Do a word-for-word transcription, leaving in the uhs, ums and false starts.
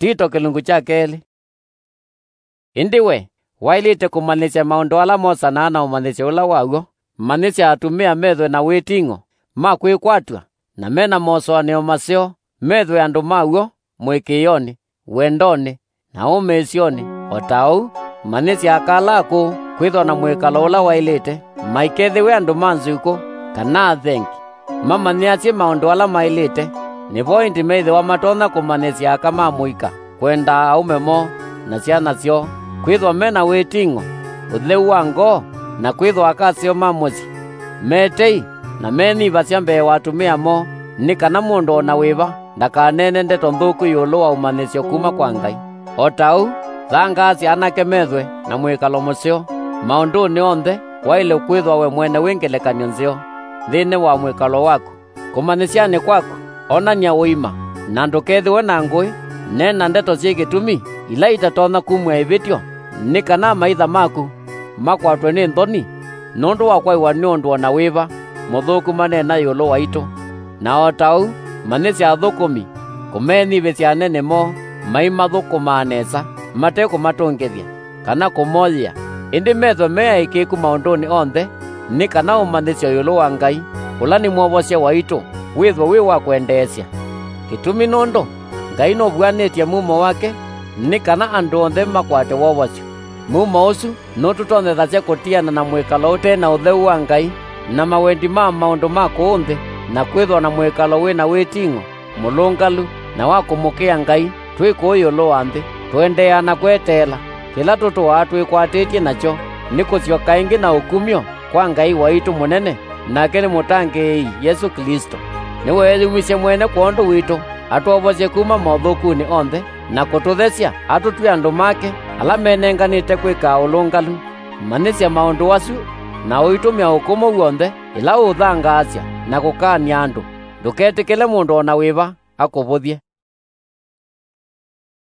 Tito kĩlungu kya kelĩ. Ĩndĩ we, waĩlĩte kũmanyĩsya maũndũ ala mosanaa na ũmanyĩsyo ũla wa w'o. Manyĩsya atumĩa methwe na wĩting'o ma kwĩkwatw'a, na me na mosũanĩo maseo, methwe andũ ma w'o mũĩkĩĩonĩ, wendonĩ, na ũmĩĩsyonĩ. O ta ũu, manyĩsya aka ala akũũ kwĩthwa na mwĩkalo ũla waĩlĩte, maikethĩwe andũ ma nzukũ, kana athengi, mamanyĩasye maũndũ ala maĩlĩte. Nĩvo ĩndĩ methĩwa matonya kũmanyĩsya aka ma mũika kwenda aũme moo na syana syoo, kwĩthwa me na wĩting'o, ũtheu wa ngoo, na kwĩthwa aka aseo ma mũsyĩ, me tei, na menyivasya mbee wa atumĩa moo, nĩ kana mũndũ o na wĩva ndakaneene ndeto nthũku ĩũlũ wa ũmanyĩsyo kuma kwa Ngai. O ta ũu, thangaasya anake methwe na mwĩkalo mũseo maũndũnĩ onthe. Waĩle kwĩthwa we mwene wĩ ngelekany'o nzeo nthĩnĩ wa mwĩkalo waku. Kũmanyĩsyanĩ kwaku, onany'a ũima, na ndũkethĩwe na ngũĩ. Neena ndeto syĩ kĩtumi ila itatonya kumw'a ĩvĩtyo, nĩ kana amaitha maku makwatwe nĩ nthoni nũndũ wa kwaĩwa nĩ ũndũ o na wĩva mũthũku maneena ĩũlũ waitũ. Na o ta ũu, manyĩsya athũkũmi kũmenyivĩsya anene moo maimathũkũmaa nesa, mate kũmatũngĩthya kana kũmoyĩa, ĩndĩ methwe me aĩkĩĩku maũndũnĩ onthe, nĩ kana ũmanyĩsyo ĩũlũ wa Ngai, ũla nĩ Mwovosya waitũ, wĩthwe wĩ wa kwendeesya. Kĩtumi nũndũ Ngai nũvuanĩtye mumo wake nĩ kana andũ onthe makwate wovosyo. Mumo ũsu nũtũtonyethasya kũtiana na mwĩkalo ũte na ũtheu wa Ngai, na mawendi ma maũndũ ma kũũ nthĩ, na kwĩthwa na mwĩkalo wĩ na wĩting'o, mũlũngalu, na wa kũmũkĩa Ngai twĩ kũũ ĩũlũ wa nthĩ, tũendeeaa na kweteela. Kĩla tũtũaa twĩkwatĩtye nakyo nĩ kũsyoka ĩngĩ na ũkumyo kwa Ngai waitũ mũnene, nake nĩ Mũtangĩĩi Yesũ Klĩsto. Nĩweeyumisye mwene kwondũ witũ, atwovosye kuma mothũkunĩ onthe, na kũtũthesya atũtw'e andũ make ala menenganĩte kwĩka ũlũngalu. Manyĩsya maũndũ asu, na ũitũmya ũkũmũ w'onthe ĩla ũũthangaasya na kũkaany'a andũ. Ndũketĩkĩle mũndũ o na wĩva akũvũthye.